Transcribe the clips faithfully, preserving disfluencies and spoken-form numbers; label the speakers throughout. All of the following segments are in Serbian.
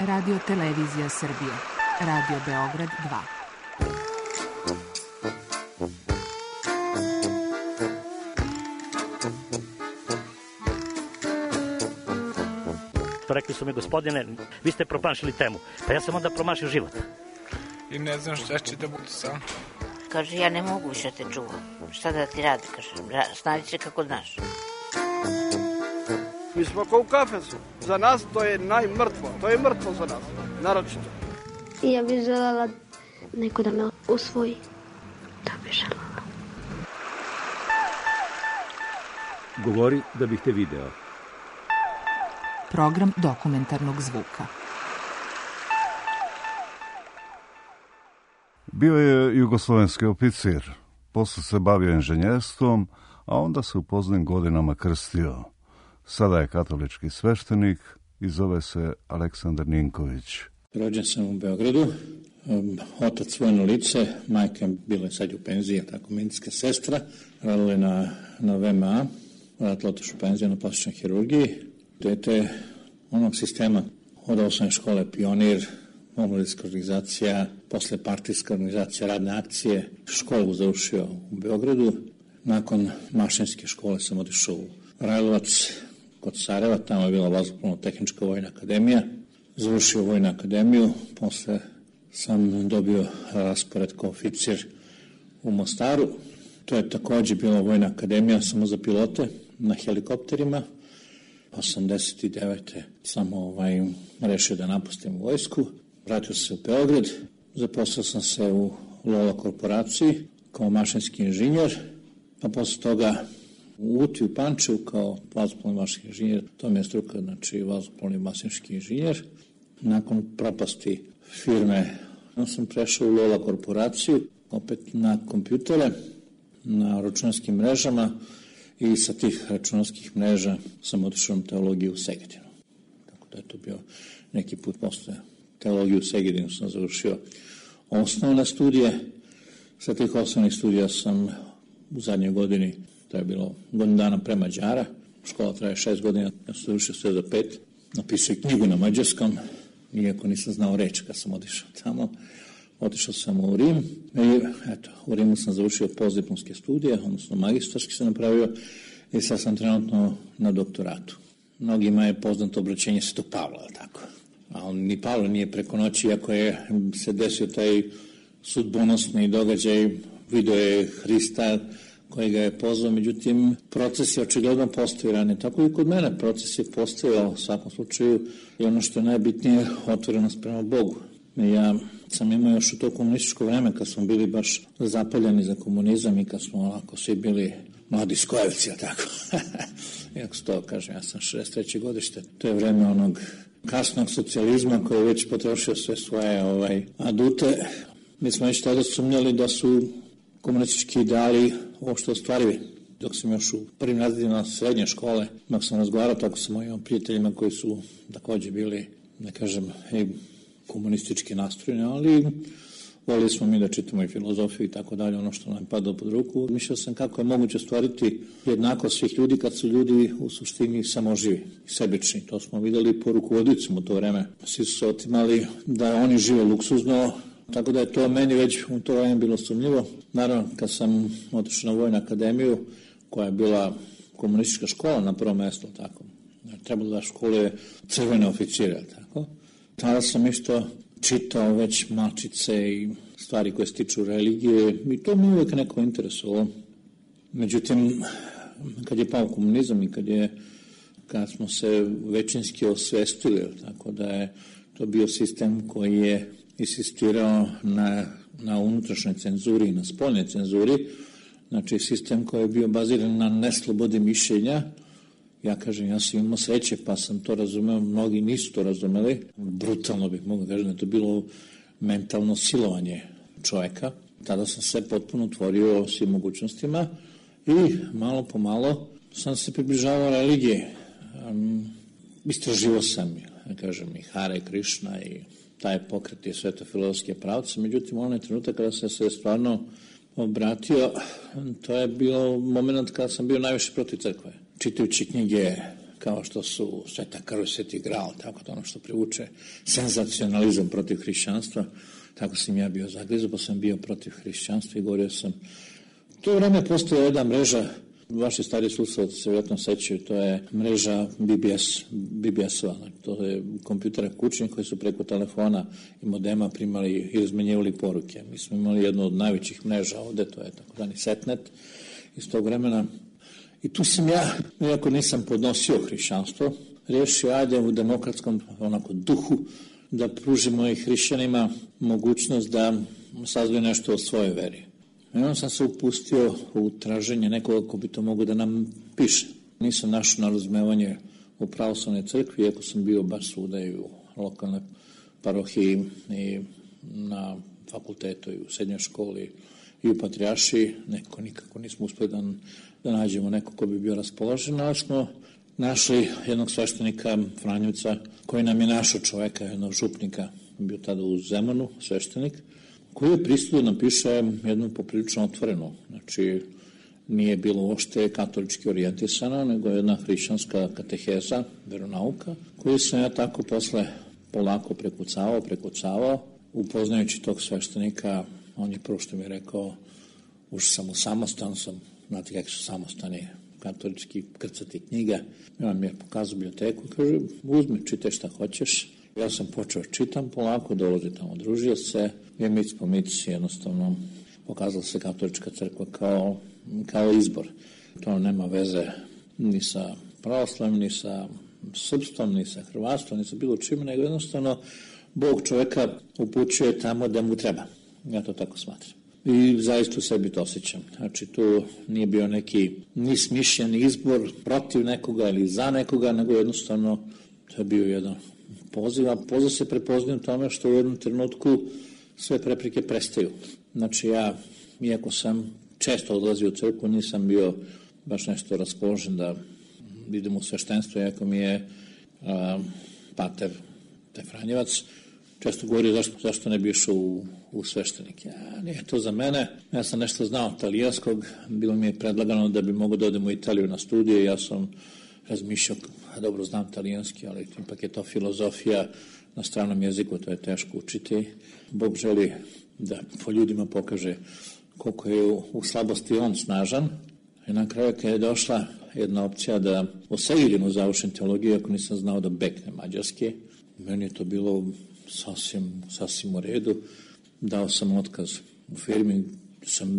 Speaker 1: Radio Televizija Srbije, Radio Beograd dva.
Speaker 2: Rekli su mi, gospodine, vi ste promašili temu. Pa ja sam onda promašio život.
Speaker 3: I ne znam šta će da bude sam.
Speaker 4: Kaže, ja ne mogu više te čuvam. Šta da ti radi, kaže, snađi se kako znaš.
Speaker 5: Mi smo kao u kafesu. Za nas to je najmrtvo. To je mrtvo za nas, naročito.
Speaker 6: I ja bih željela neko da me usvoji. Da bih željela.
Speaker 7: Govori da bih te video.
Speaker 1: Program dokumentarnog zvuka.
Speaker 8: Bio je jugoslovenski oficir, posle se bavio inženjerstvom, a onda se u poznim godinama krstio. Sada je katolički sveštenik i zove se Aleksandar Ninković.
Speaker 9: Rođen sam u Beogradu, otac vojno lice, majka bila je sad u penziji, tako medicinska sestra, radila na, na V M A, vratila otišla u penziju na plastičnoj hirurgiji. Dete onog sistema od osnovne škole Pionir, omladinska organizacija, posle partijska organizacija, radne akcije, školu završio u Beogradu. Nakon mašinske škole sam otišao u Rajlovac kod Sarajeva, tamo je bila vazduhoplovno-tehnička vojna akademija. Završio vojnu akademiju, posle sam dobio raspored kao oficir u Mostaru. To je takođe bila vojna akademija samo za pilote na helikopterima. osamdeset devete sam ovaj, rešio da napustim vojsku. Vratio se u Beograd, zaposlao sam se u Lola korporaciji kao mašinski inženjer, a posle toga u Uti u Pančevu kao vazduhoplovni mašinski inženjer, to mi je struka, znači vazduhoplovni mašinski inženjer. Nakon propasti firme sam prešao u Lola korporaciju, opet na kompjutere, na računarskim mrežama i sa tih računarskih mreža sam otišao na teologiju u Segedinu. Tako da je to bio neki put posle teologiju u Segedinu sam završio osnovne studije. Sa tih osnovnih studija sam u zadnjoj godini, to je bilo godinu dana pre Mađara, škola traje šest godina, ja sam završio sve za pet, napisao knjigu na mađarskom, iako nisam znao reč kad sam otišao tamo. Otišao sam u Rim i eto, u Rimu sam završio postdiplomske studije, odnosno magistarski sam napravio i sad sam trenutno na doktoratu. Mnogima je poznato obraćenje Svetog Pavla, tako. A on ni Pavle nije preko noći, iako je se desio taj sudbonosni događaj, video je Hrista koji ga je pozvao, međutim, proces je očigledno postojao ranije. Tako i kod mene proces je postojao u svakom slučaju i ono što je najbitnije, otvorenost prema Bogu. Ja sam imao još u to komunističko vreme kad smo bili baš zapaljeni za komunizam i kad smo onako svi bili mladi skojevci, tako. Iako se to kažem, ja sam šezdeset treće godište. To je vreme onog kasnog socijalizma koji je već potrošio sve svoje ovaj, adute. Mi smo već tada sumnjali da su komunistički ideali uopšte ostvarivi. Dok sam još u prvim razredima srednje škole, dok sam razgovarao tako sa mojim prijateljima koji su takođe bili, da kažem, i komunistički nastrojeni, ali volili smo mi da čitamo i filozofiju i tako dalje, ono što nam pada pod ruku. Mišljao sam kako je moguće stvariti jednako svih ljudi kad su ljudi u suštini samoživi, sebični. To smo videli po rukovodicima u to vreme. Svi su se otimali da oni žive luksuzno, tako da je to meni već u to vreme bilo sumnjivo. Naravno, kad sam otišao na vojnu akademiju, koja je bila komunistička škola na prvom mjestu, tako. Trebalo da škole crvene oficire, tako. Tada sam isto čitao već malčice i stvari koje se tiču religije i to mi uvijek neko interesovalo. Međutim, kad je pao komunizam i kad, je, kad smo se većinski osvestili, tako da je to bio sistem koji je insistirao na, na unutrašnjoj cenzuri i na spoljnoj cenzuri, znači sistem koji je bio baziran na neslobodi mišljenja. Ja kažem, ja sam imao sreće, pa sam to razumeo, mnogi nisu to razumeli. Brutalno bih mogao kažem da je to bilo mentalno silovanje čoveka. Tada sam se potpuno otvorio svim mogućnostima i malo po malo sam se približavao religije. Um, istraživo sam, ja kažem, i Hare Krišna i taj pokret i sve to filozofske pravce. Međutim, onaj trenutak kada sam se stvarno obratio, to je bio moment kada sam bio najviše protiv crkve. Čitajući knjige kao što su Sveta krv, Sveti gral, tako to ono što privuče senzacionalizam protiv hrišćanstva. Tako sam ja bio zagrizo, pa sam bio protiv hrišćanstva i govorio sam. U to vreme postoje jedna mreža, vaši stari slušalci se vjerojatno sećaju, to je mreža B B S, B B S-ova, to je kompjutera kućnih koji su preko telefona i modema primali i izmenjivali poruke. Mi smo imali jednu od najvećih mreža ovde, to je takozvani Setnet iz tog vremena. I tu sam ja, iako nisam podnosio hrišćanstvo, rešio, ajde u demokratskom onako duhu, da pružimo i hrišćanima mogućnost da saznaju nešto o svojoj veri. I onda sam se upustio u traženje nekoga ko bi to mogo da nam piše. Nisam našao na razumevanje u pravoslavnoj crkvi, iako sam bio baš svuda i u lokalnoj parohiji i na fakultetu i u srednjoj školi i u patrijaršiji. Neko nikako nismo uspeli da, da nađemo neko ko bi bio raspoložen, ali smo našli jednog sveštenika Franjevca koji nam je našao čoveka, jednog župnika, bio tada u Zemunu, sveštenik, koji je pristao da napiše jednu poprilično otvorenu. Znači, nije bilo uopšte katolički orijentisana, nego jedna hrišćanska kateheza, veronauka, koju sam ja tako posle polako prekucavao, prekucavao. Upoznajući tog sveštenika, on je prvo što mi je rekao, ušao sam u samostan, sam, znate kako su samostani, katolički krcati knjiga. I on mi je pokazao biblioteku, kaže, uzmi, čitaj šta hoćeš. Ja sam počeo čitam polako, dolazi tamo, družio se, je mic po mic, jednostavno pokazala se katolička crkva kao, kao izbor. To nema veze ni sa pravoslavim, ni sa srpstvom, ni sa hrvatstvom, ni sa bilo čime, nego jednostavno Bog čoveka upućuje tamo da mu treba. Ja to tako smatram. I zaista u sebi to osjećam. Znači, tu nije bio neki ni smišljen izbor protiv nekoga ili za nekoga, nego jednostavno to je bio jedan poziv, a poziv se prepoznaje u tome što u jednom trenutku sve prepreke prestaju. Znači, ja, iako sam često odlazio u crkvu, nisam bio baš nešto raspoložen da idem u sveštenstvo, iako mi je a, pater taj Franjevac često govorio zašto, zašto ne bi išao u, u sveštenik. Ja, nije to za mene. Ja sam nešto znao talijanskog, bilo mi je predlagano da bi mogo da odem u Italiju na studije. Ja sam razmišljao, dobro znam talijanski, ali ipak je to filozofija na stranom jeziku, to je teško učiti. Bog želi da po ljudima pokaže koliko je u, u slabosti on snažan. I na kraju kad je došla jedna opcija da u Segedinu završim teologiju, ako nisam znao da bekne mađarski, meni je to bilo sasvim, sasvim u redu. Dao sam otkaz u firmi, sam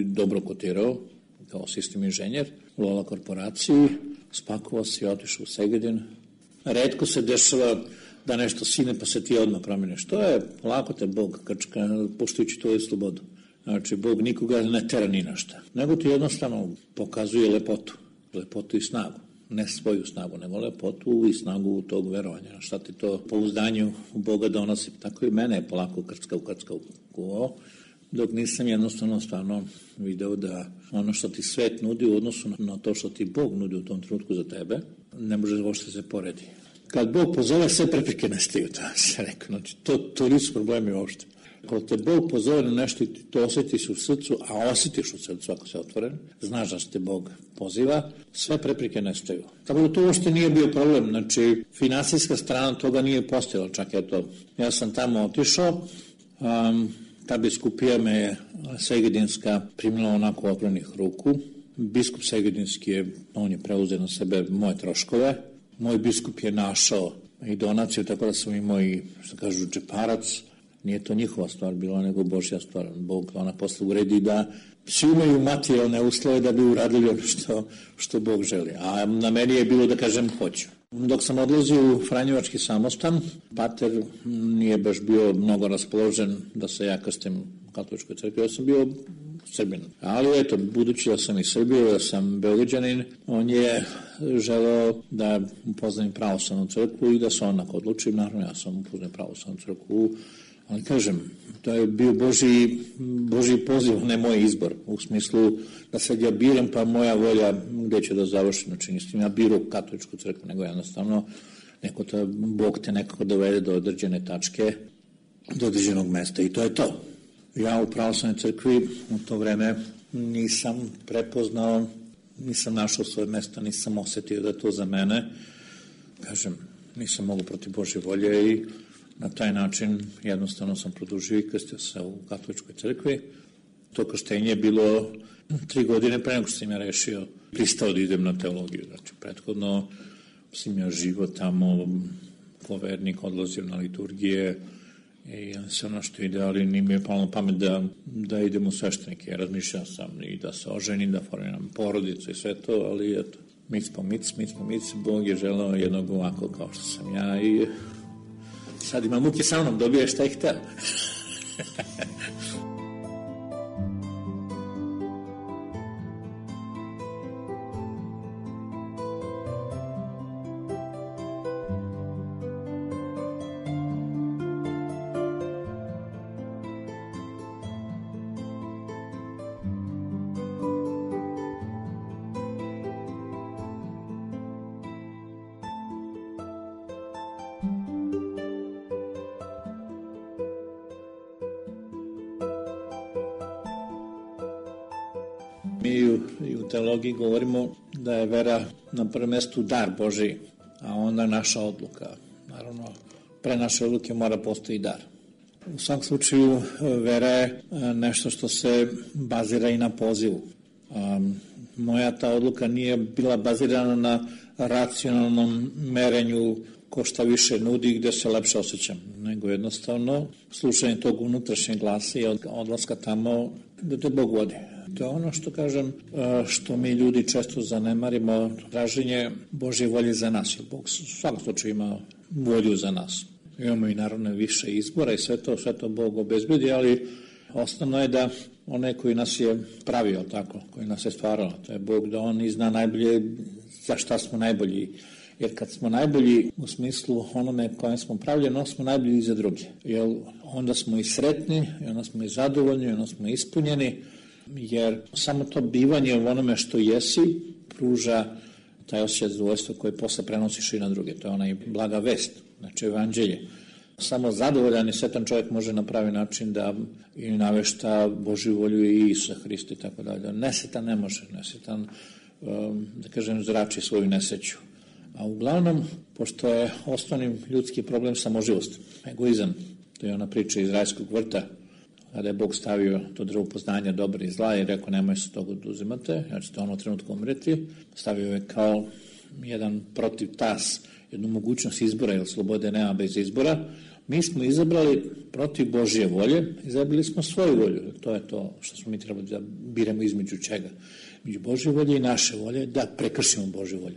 Speaker 9: dobro kotirao kao sistem inženjer u Lola korporaciji, spakovao se i otišao u Segedin. Retko se dešava da nešto sine pa se ti odmah promeniš. To je, lako te Bog krčka, poštujući tvoju slobodu. Znači, Bog nikoga ne tera ni na šta, nego ti jednostavno pokazuje lepotu, lepotu i snagu. Ne svoju snagu, nego lepotu i snagu tog verovanja. Šta ti to pouzdanju u Boga donosi? Tako i mene je polako krcka u krcka u kuvao, dok nisam jednostavno stvarno video da ono što ti svet nudi u odnosu na to što ti Bog nudi u tom trenutku za tebe, ne može uopšte se poredi. Kad Bog pozove, sve prepreke nestaju, to se rekao. Znači, to, to nisu problemi uopšte. Ako te Bog pozove na nešto i ti to osjetiš u srcu, a osjetiš u srcu ako se otvoren, znaš da se te Bog poziva, sve prepreke nestaju. Tako da to uopšte nije bio problem, znači finansijska strana toga nije postojala, čak eto, ja sam tamo otišao, um, ta biskupija me je Segedinska primila onako otvorenih ruku, biskup Segedinski je, on je preuzeo na sebe moje troškove, moj biskup je našao i donaciju, tako da sam imao i, što kažu, džeparac. Nije to njihova stvar bila, nego Božja stvar. Bog ona posle uredi da svi imaju materijalne uslove da bi uradili ono što, što Bog želi. A na meni je bilo da kažem hoću. Dok sam odlazio u Franjevački samostan, pater nije baš bio mnogo raspoložen da se ja krstim u katoličkoj crkvi. Ja sam bio Srbin. Ali eto, budući da sam iz Srbije, da sam Beograđanin, on je želeo da upoznam pravoslavnu crkvu i da se onako odlučim. Naravno, ja sam upoznam pravoslavnu crkvu. Ali kažem, to je bio Božji, Božji poziv, ne moj izbor, u smislu da sad ja biram pa moja volja gde će da završim, znači nisam ja birao katoličku crkvu, nego jednostavno neko to, Bog te nekako dovede do određene tačke, do određenog mesta i to je to. Ja u pravoslavnoj crkvi u to vreme nisam prepoznao nisam našao svoje mesto, nisam osetio da je to za mene. Kažem, nisam mogu protiv Božje volje i na taj način jednostavno sam produžio i krstio se u katoličkoj crkvi. To krštenje je bilo tri godine pre nego što sam ja rešio, pristao da idem na teologiju. Znači, prethodno sam ja živo tamo, ko vernik, odlazio na liturgije i sve ono što ide, ali nije mi je palo na pamet da, da idem u sveštenike. Razmišljao sam i da se oženim, da formiram porodicu i sve to, ali eto, mic po mic, mic po mic, Bog je želeo jednog ovako kao što sam ja i sad ima muke sa mnom, dobije šta je hteo. Mi u, u teologiji govorimo da je vera na prvom mestu dar Božiji, a onda naša odluka. Naravno, pre naše odluke mora postoji dar. U svakom slučaju, vera je nešto što se bazira i na pozivu. Um, moja ta odluka nije bila bazirana na racionalnom merenju ko šta više nudi, gde se lepše osjećam, nego jednostavno slušanje tog unutrašnjeg glasa i odlaska tamo da te Bog vodi. To je ono što kažem, što mi ljudi često zanemarimo, traženje Božje volje za nas. Bog u svakom slučaju ima volju za nas. Imamo i naravno više izbora i sve to, sve to Bog obezbedi, ali osnovno je da onaj koji nas je pravio tako, koji nas je stvarao, to je Bog, da on i zna najbolje za šta smo najbolji. Jer kad smo najbolji u smislu onome kojem smo pravljeni, onda smo najbolji i za druge. Jer onda smo i sretni, i onda smo i zadovoljni, i onda smo ispunjeni, jer samo to bivanje u onome što jesi pruža taj osjećaj zadovoljstva koji posle prenosiš i na druge. To je onaj blaga vest, znači evanđelje. Samo zadovoljan i sretan čovjek može na pravi način da i navešta Božju volju i Isusa Hrista i tako dalje. Nesretan ne može, nesretan, da kažem, zrači svoju nesreću. A uglavnom, pošto je osnovni ljudski problem samoživost, egoizam, to je ona priča iz rajskog vrta, kada je Bog stavio to drvo poznanja dobra i zla i rekao nemoj se toga oduzimate, jer ćete ono trenutku umreti, stavio je kao jedan protiv tas, jednu mogućnost izbora, jer slobode nema bez izbora. Mi smo izabrali protiv Božje volje, izabrali smo svoju volju, to je to što smo mi trebali da biramo između čega. Među Božje volje i naše volje, da prekršimo Božju volju.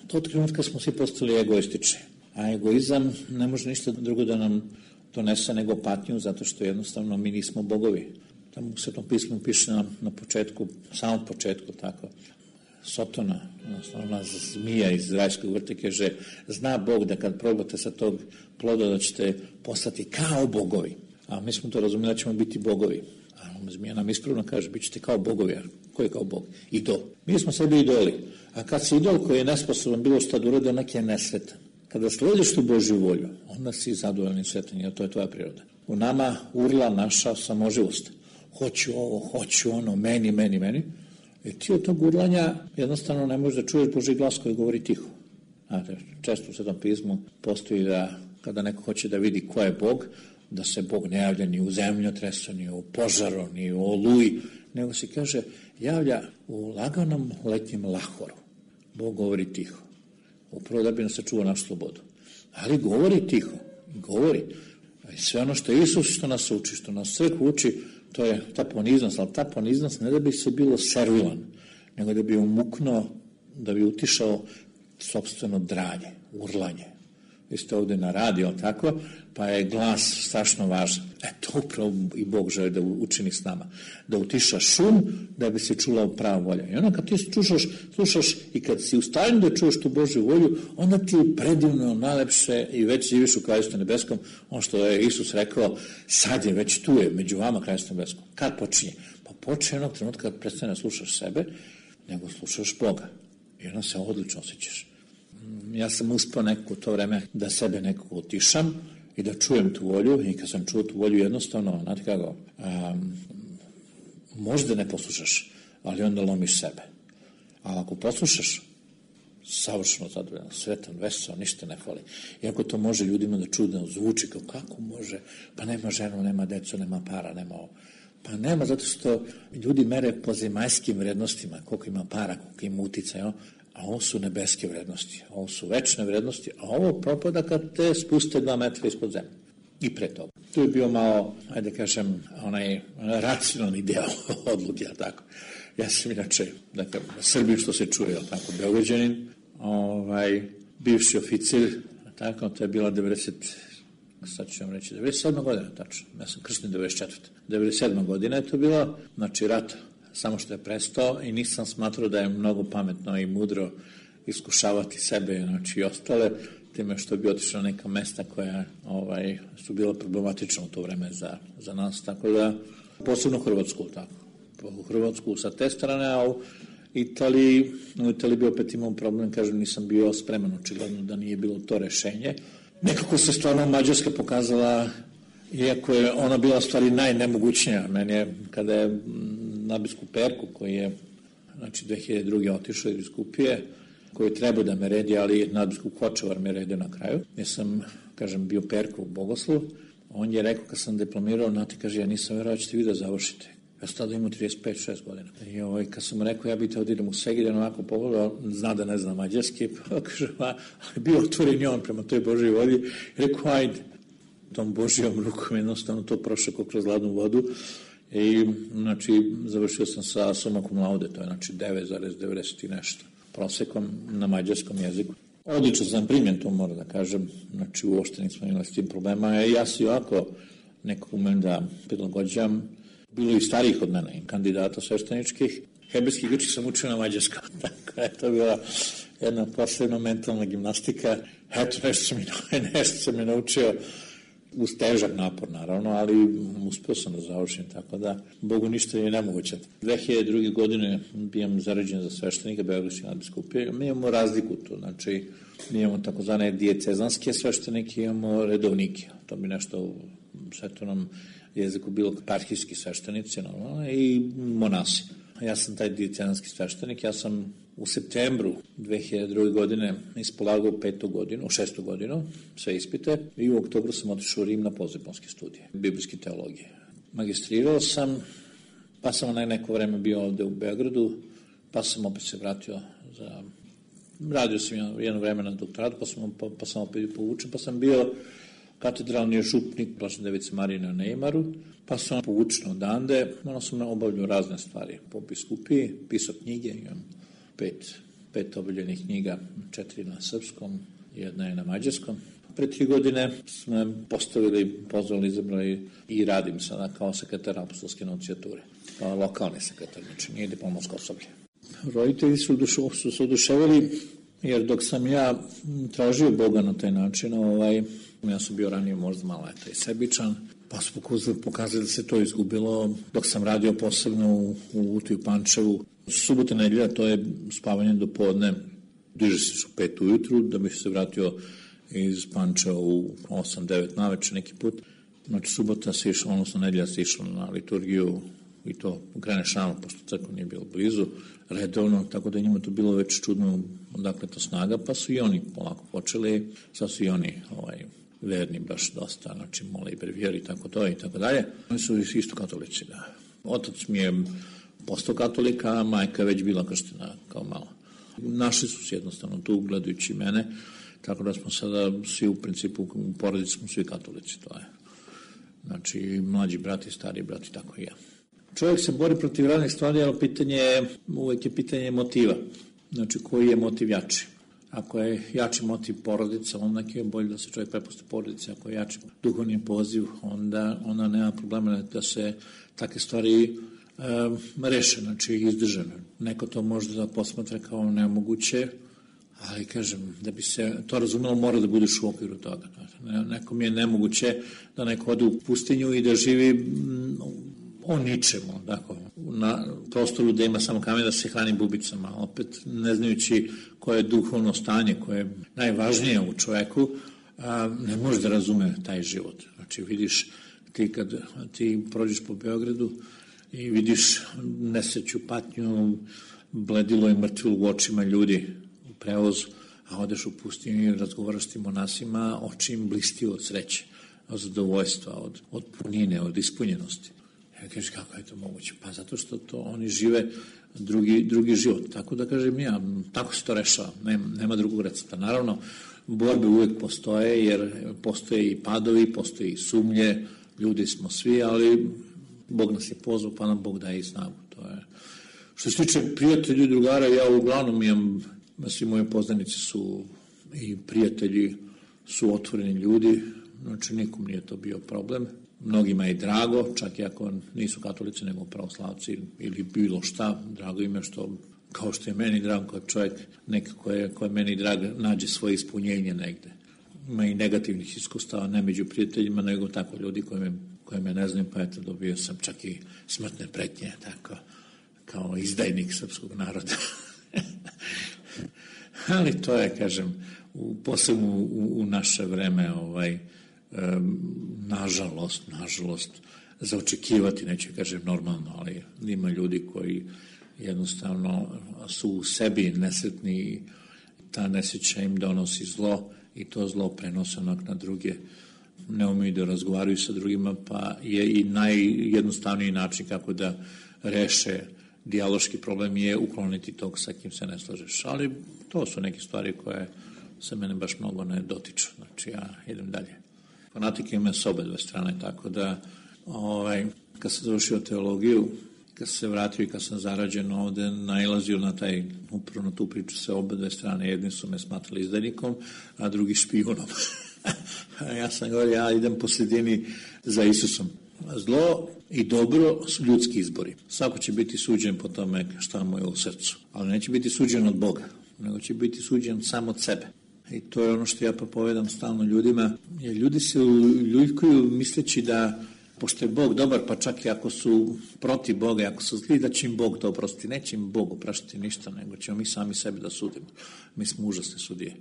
Speaker 9: To trenutka smo svi postali egoistični, a egoizam ne može ništa drugo da nam donese nego patnju, zato što jednostavno mi nismo bogovi. Tamo u Svetom pismu piše na, na početku, samom početku, tako, Sotona, ona zmija iz rajskog vrta, kaže, zna Bog da kad probate sa tog ploda da ćete postati kao bogovi. A mi smo to razumeli da ćemo biti bogovi. A zmija nam ispravno kaže, bit ćete kao bogovi. A ko je kao bog? Idol. Mi smo sebi idoli. A kad si idol koji je nesposoban bilo šta da uradi, onak je nesretan. Kada slediš tu Božju volju, onda si zadovoljni i sretan, jer to je tvoja priroda. U nama urla naša samoživost. Hoću ovo, hoću ono, meni, meni, meni. I ti od tog urlanja jednostavno ne možeš da čuješ Božji glas koji govori tiho. Znate, često u Svetom pismu postoji da kada neko hoće da vidi ko je Bog, da se Bog ne javlja ni u zemljotresu, ni u požaru, ni u oluji, nego se kaže, javlja u laganom letnjem lahoru. Bog govori tiho. Upravo da bi nas sačuvao našu slobodu. Ali govori tiho, govori. I sve ono što je Isus što nas uči, što nas crkva uči, to je ta poniznost, ali ta poniznost ne da bi se bilo servilan, nego da bi umuknuo, da bi utišao sopstveno dranje, urlanje. Vi ste ovde na radio, tako, pa je glas strašno važan. E, to upravo i Bog želi da učini s nama. Da utiša šum, da bi se čula prava volja. I onda kad ti slušaš, slušaš i kad si u stanju da čuješ tu Božju volju, onda ti je predivno, najlepše i već živiš u Kraljevstvu nebeskom. Ono što je Isus rekao, sad je već tu je, među vama Kraljevstvo nebeskom. Kad počinje? Pa počinje onog trenutka kad prestane da slušaš sebe, nego slušaš Boga. I onda se odlično osjećaš. Ja sam uspio neko to vreme da sebe nekako utišam i da čujem tu volju i kad sam čuo tu volju jednostavno, znate kako, um, možda ne poslušaš, ali onda lomiš sebe. A ako poslušaš, savršeno zadovoljan, sretan, veseo, ništa ne fali. Iako to može ljudima da čudno zvuči, kao kako može, pa nema ženu, nema decu, nema para, nema ovo. Pa nema, zato što ljudi mere po zemaljskim vrednostima, koliko ima para, koliko ima uticaj, a ovo su nebeske vrednosti, ovo su večne vrednosti, a ovo propada kad te spuste dva metra ispod zemlje. I pre toga. Tu je bio malo, ajde kažem, onaj racionalni deo odluke, ja tako. Ja sam inače, dakle, Srbin što se čuje, tako, Beograđanin, ovaj, bivši oficir, tako, to je bila devedeset, sad ću vam reći, devedeset sedma godina, tačno, ja sam kršten devedeset četvrta devedeset sedma godina je to bila, znači, rat, samo što je prestao i nisam smatrao da je mnogo pametno i mudro iskušavati sebe, znači, i ostale, time što bi otišao na neka mesta koja ovaj, su bila problematična u to vreme za, za nas, tako da, posebno Hrvatsku, tako. U Hrvatsku sa te strane, a u Italiji, u Italiji bi opet imao problem, kažem, nisam bio spreman, očigledno da nije bilo to rešenje. Nekako se stvarno Mađarska pokazala, iako je ona bila stvari najnemogućnija. Meni je, kada je nadbiskup Perku, koji je, znači, dve hiljade druge otišao iz biskupije, koji treba da me redi, ali nadbiskup Hočevar me redio na kraju. Ja sam, kažem, bio Perku u Bogoslav. On je rekao, kad sam diplomirao, nati, kaže, ja nisam verao da ćete vi da završite. Ja sam tada imao trideset pet šest godina. I ovaj, kad sam mu rekao, ja bih te odidem u Segedin, onako pogledao, zna da ne zna mađarski, pa kaže, ali bio otvoren i on prema toj Božoj vodi. I rekao, ajde. Tom Božijom rukom jednostavno to prošao kroz hladnu vodu. I, znači, završio sam sa summa cum laude, to je, znači, devet zarez devedeset i nešto. Prosekom na mađarskom jeziku. Odlično sam primjen, to moram da kažem, znači uopšte nismo imali s tim problema. Ja si ovako nekako umem da prilagođam, bilo i starijih od mene, kandidata svešteničkih. Hebrejski i grčki sam učio na mađarskom, tako je to bila jedna posebna mentalna gimnastika. Eto, nešto sam i, nešto sam i naučio, uz težak napor, naravno, ali uspio sam da završim, tako da Bogu ništa je nemoguće. dve hiljade druge godine bijam zarađen za sveštenika Beogradske nadbiskupije. Mi imamo razliku tu, znači mi imamo takozvane dijecezanske sveštenike, imamo redovnike. To bi nešto u svetovnom jeziku bilo eparhijski sveštenici, normalno, i monasi. Ja sam taj dijecezanski sveštenik, ja sam u septembru dve hiljade druge. godine ispolagao petu godinu, šestu godinu, sve ispite, i u oktobru sam otišao u Rim na postdiplomske studije, biblijske teologije. Magistrirao sam, pa sam na neko vreme bio ovde u Beogradu, pa sam opet se vratio za... Radio sam jedno vreme na doktoratu, pa sam, pa, pa sam opet povučen, pa sam bio katedralni župnik Blažene Device Marije na Neimaru, pa sam povučen odande, ono sam obavljao razne stvari po biskupiji, pisao knjige, imam pet, pet obavljenih knjiga, četiri na srpskom, jedna je na mađarskom. Pre tri godine smo postavili, pozvali, izabrali i radim sada kao sekretar apostolske nuncijature, kao lokalni sekretar, znači nije diplomatsko osoblje. Roditelji su, dušu, su se oduševili, jer dok sam ja tražio Boga na taj način, ovaj, ja sam bio ranije možda malo eto, i sebičan, pa su pokazali da se to izgubilo. Dok sam radio posebno u, u Utiju Pančevu, subota nedelja, to je spavanje do podne, diže se u pet ujutru, da bih se vratio iz Pančeva u osam devet naveče neki put. Znači subota se išlo, odnosno nedelja se išlo na liturgiju i to kreneš rano, pošto crkva nije bilo blizu, redovno, tako da njima to bilo već čudno odakle to snaga, pa su i oni polako počeli, sad su i oni ovaj, verni baš dosta, znači mole i brevijeri i tako to i tako dalje. Oni su isto katolici, da. Otac mi je postao katolika, a majka je već bila krštena kao mala. Našli su se jednostavno tu, gledajući mene, tako da smo sada svi u principu, u porodici smo svi katolici, to je. Znači, mlađi brati, stari brati, tako i ja. Čovjek se bori protiv raznih stvari, ali pitanje je, uvek je pitanje motiva. Znači, koji je motiv jači? Ako je jači motiv porodica, onda je bolje da se čovjek prepusti porodici. Ako je jači duhovni poziv, onda ona nema problema da se takve stvari um, reše, znači izdržane. Neko to može da posmatra kao nemoguće, ali kažem, da bi se to razumelo, mora da budeš u okviru toga. Nekom je nemoguće da neko ode u pustinju i da živi m, o ničemu, dakle, na prostoru gde ima samo kamen da se hrani bubicama, opet ne znajući koje je duhovno stanje, koje je najvažnije u čoveku, a, ne može da razume taj život. Znači, vidiš, ti kad ti prođeš po Beogradu i vidiš nesreću, patnju, bledilo i mrtvilo u očima ljudi u prevozu, a odeš u pustinju i razgovaraš s tim monasima, oči im blisti od sreće, od zadovoljstva, od, od punine, od ispunjenosti. Ja kažem, kako je to moguće? Pa zato što to oni žive drugi, drugi život. Tako da kažem ja, tako se to rešava, nema, nema drugog recepta. Naravno, borbe uvek postoje, jer postoje i padovi, postoje i sumnje, ljudi smo svi, ali Bog nas je pozvao, pa nam Bog daje i snagu. To je. Što se tiče prijatelji i drugara, ja uglavnom imam, svi moji poznanici su i prijatelji su otvoreni ljudi, znači nikom nije to bio problem. Mnogima je drago, čak i ako nisu katolici nego pravoslavci ili bilo šta, drago im je što, kao što je meni drago kad čovjek nekako je, ko je meni drag, nađe svoje ispunjenje negde. Ima i negativnih iskustava, ne među prijateljima, nego tako ljudi koji me, koji me ne znam, pa eto dobio sam čak i smrtne pretnje, tako, kao izdajnik srpskog naroda. Ali to je, kažem, u, posebno u, u naše vreme, ovaj, um, nažalost, nažalost, za očekivati, neću kažem normalno, ali ima ljudi koji jednostavno su u sebi nesretni i ta nesreća im donosi zlo i to zlo prenose onak na druge, ne umeju da razgovaraju sa drugima, pa je i najjednostavniji način kako da reše dijaloški problem je ukloniti tog sa kim se ne slažeš. Ali to su neke stvari koje se mene baš mnogo ne dotiču. Znači ja idem dalje. Fanatike ima s obe dve strane, tako da ovaj, kad sam završio teologiju, kad sam se vratio i kad sam zarađen ovde, nailazio na taj, upravo na tu priču sa obe dve strane. Jedni su me smatrali izdajnikom, a drugi špijunom. Ja sam govorio, ja idem po sredini za Isusom. Zlo i dobro su ljudski izbori. Svako će biti suđen po tome šta mu je u srcu. Ali neće biti suđen od Boga, nego će biti suđen sam od sebe. I to je ono što ja propovedam stalno ljudima. Jer ljudi se uljujkuju misleći da, pošto je Bog dobar, pa čak i ako su protiv Boga, ako su zli, da će im Bog to oprostiti. Neće im Bog opraštiti ništa, nego ćemo mi sami sebi da sudimo. Mi smo užasne sudije.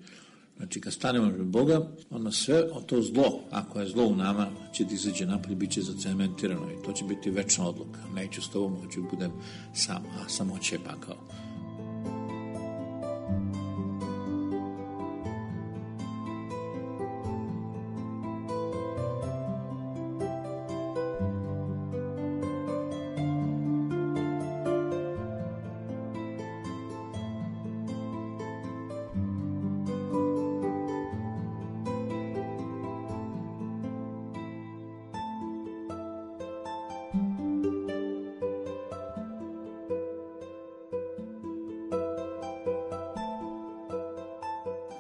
Speaker 9: Znači, kad stanemo pred Boga, onda sve o to zlo, ako je zlo u nama, će da izađe napolje, bit će zacementirano i to će biti večna odluka. Neću s tobom, hoću budem sam, a samoće je pakao.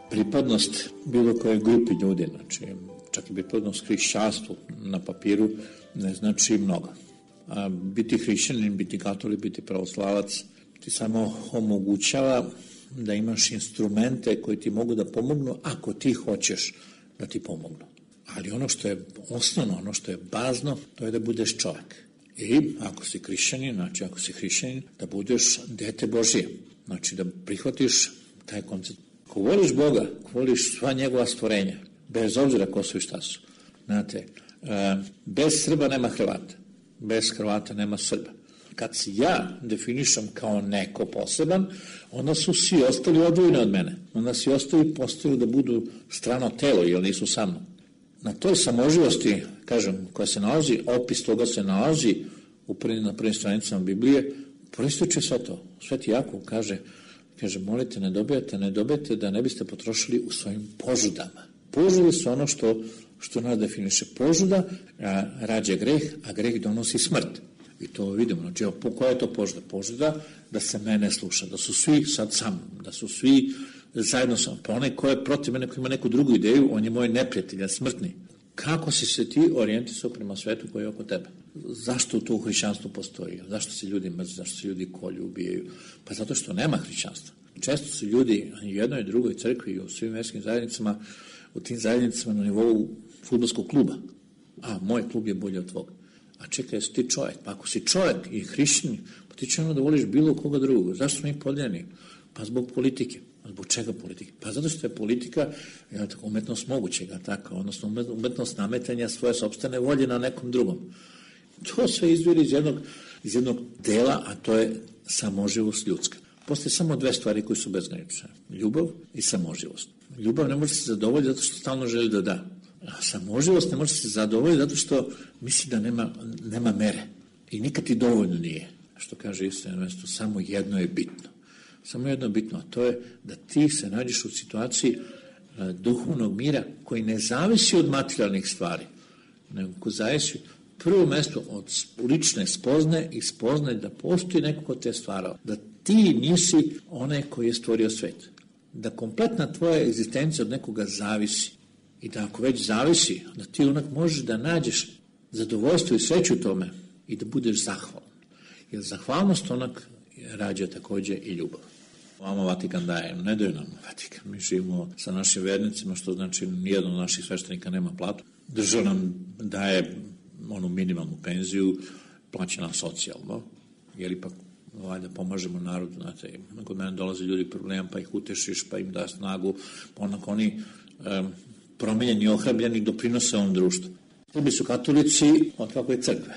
Speaker 9: Pripadnost bilo koje grupi ljudi, znači čak i pripadnost hrišćanstvu na papiru ne znači mnogo. A biti hrišćanin, biti katolik, biti pravoslavac ti samo omogućava da imaš instrumente koji ti mogu da pomognu ako ti hoćeš da ti pomognu. Ali ono što je osnovno, ono što je bazno, to je da budeš čovjek. I ako si hrišćanin, znači ako si hrišćanin, da budeš dete Božije. Znači da prihvatiš taj koncept. Ako voliš Boga, ako voliš sva njegova stvorenja, bez obzira ko su i šta su. Znate, bez Srba nema Hrvata, bez Hrvata nema Srba. Kad se ja definišem kao neko poseban, onda su svi ostali odvojeni od mene. Onda svi ostali postaju da budu strano telo, jer nisu sa mnom. Na toj samoživosti, kažem, koja se nalazi, opis toga se nalazi u prvim, na prvim stranicama Biblije, proističe sve to. Sveti Jakov kaže, kaže, molite, ne dobijete, ne dobijete da ne biste potrošili u svojim požudama. Požude su ono što, što nas definiše. Požuda a, rađa greh, a greh donosi smrt. I to vidimo. Znači, koja je to požuda? Požuda da se mene sluša, da su svi sad sa mnom, da su svi zajedno sa mnom. Pa onaj ko je protiv mene, ko ima neku drugu ideju, on je moj neprijatelj, smrtni. Kako si se ti orijentisao prema svetu koji je oko tebe? Zašto to u hrišćanstvu postoji? Zašto se ljudi mrze? zašto se ljudi kolju, ubijaju? Pa zato što nema hrišćanstva. Često su ljudi u jednoj i drugoj crkvi i u svim verskim zajednicama, u tim zajednicama na nivou fudbalskog kluba. A, moj klub je bolji od tvog. A čekaj, jesi ti čovjek? Pa ako si čovjek i hrišćanin, pa ti će ono da voliš bilo koga drugog. Zašto smo mi podeljeni? Pa zbog politike. Zbog čega politike? Pa zato što je politika je tako, umetnost mogućega, tako, odnosno umetnost nametanja svoje sopstvene volje na nekom drugom. To sve izviri iz jednog, iz jednog dela, a to je samoživost ljudska. Postoje samo dve stvari koje su bezgranične. Ljubav i samoživost. Ljubav ne može se zadovoljiti zato što stalno želi da da. A samoživost ne može se zadovoljiti zato što misli da nema, nema mere. I nikad ti dovoljno nije. Što kaže isto jedno mjesto, samo jedno je bitno. Samo jedno je bitno, a to je da ti se nađeš u situaciji duhovnog mira koji ne zavisi od materijalnih stvari, nego ko zavisi prvo mjesto od lične spozne i spozne da postoji neko ko te stvarao. Da ti nisi onaj koji je stvorio svet. Da kompletna tvoja egzistencija od nekoga zavisi. I da ako već zavisi, da ti onak možeš da nađeš zadovoljstvo i sreću u tome i da budeš zahvalan. Jer zahvalnost onak rađa također i ljubav. Vama Vatikan daje, ne daju nam Vatikan. Mi živimo sa našim vernicima, što znači nijedan od naših sveštenika nema platu. Država nam daje onu minimalnu penziju, plaća nam socijalno, jer ipak valjda pomažemo narodu. Znate, kod mene dolaze ljudi problem, pa ih utešiš, pa im da snagu, pa onako oni um, promijenjeni, ohrabljeni, doprinose ovom društvu. Srbi su katolici od kako je crkve.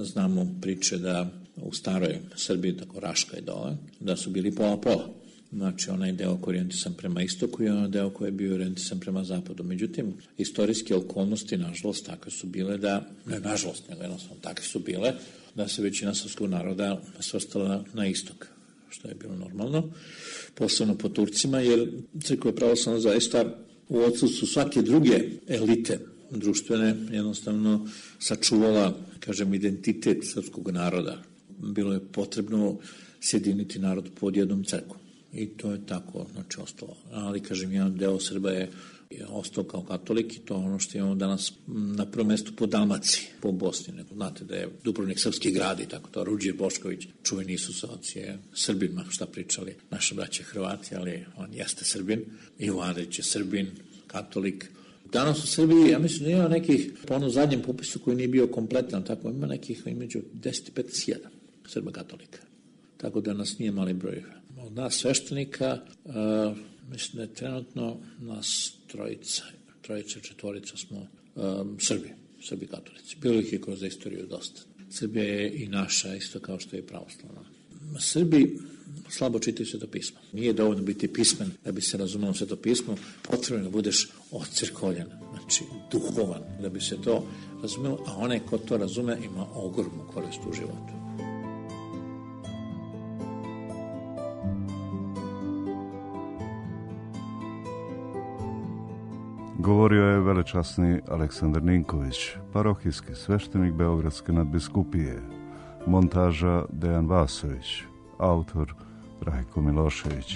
Speaker 9: Znamo priče da u staroj Srbiji, tako Raška i dole, da su bili pola-pola. Znači, onaj deo koji je orijentisan prema istoku i onaj deo koji je bio orijentisan prema zapadu. Međutim, istorijske okolnosti, nažalost, takve su bile da, ne nažalost, nego jednostavno takve su bile, da se većina srpskog naroda svrstala na, na istok, što je bilo normalno, posebno po Turcima, jer crkva pravoslavna zaista u odsustvu svake druge elite društvene jednostavno sačuvala, kažem, identitet srpskog naroda. Bilo je potrebno sjediniti narod pod jednom crkvom. I to je tako, znači, ostalo. Ali, kažem, jedan deo Srba je, je ostao kao katolik i to je ono što imamo danas na prvom mjestu po Dalmaciji, po Bosni. Nego, znate da je Dubrovnik srpski grad i tako to. Ruđer Bošković, čuveni Isusovac, je Srbima, šta pričali naše braće Hrvati, ali on jeste Srbin. Ivo Andrić je Srbin, katolik. Danas u Srbiji, ja mislim da ima nekih, po onom zadnjem popisu koji nije bio kompletan, tako ima nekih između deset i petnaest hiljada Srba katolika. Tako da nas nije mali broj. Od nas sveštenika, uh, mislim da je trenutno nas trojica, trojica, četvorica smo um, Srbi, Srbi katolici. Bilo ih je kroz istoriju dosta. Srbija je i naša, isto kao što je pravoslavna. Srbi slabo čitaju svetopismo. Nije dovoljno biti pismen da bi se razumelo svetopismo, potrebno da budeš ocrkoljen, znači duhovan, da bi se to razumelo, a onaj ko to razume ima ogromnu korist u životu.
Speaker 8: Govorio je velečasni Aleksandar Ninković, parohijski sveštenik Beogradske nadbiskupije, montaža Dejan Vasović, autor Rajko Milošević.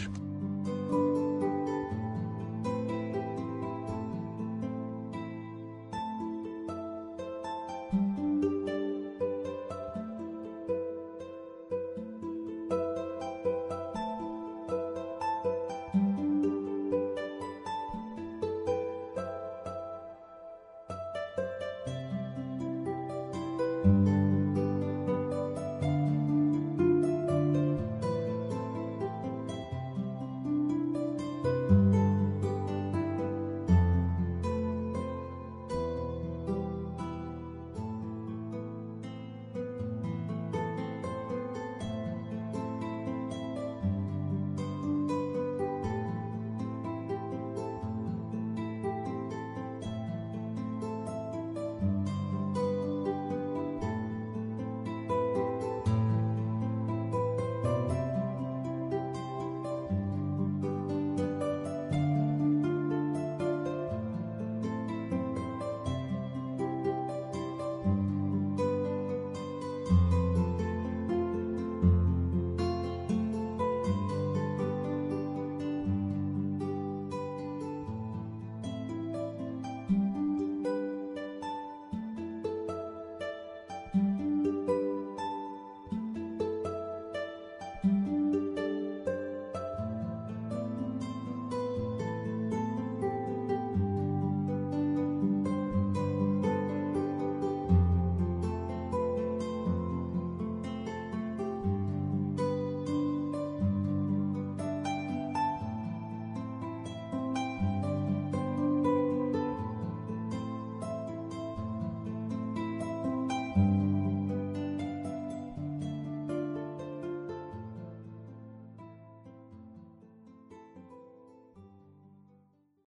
Speaker 10: Thank you.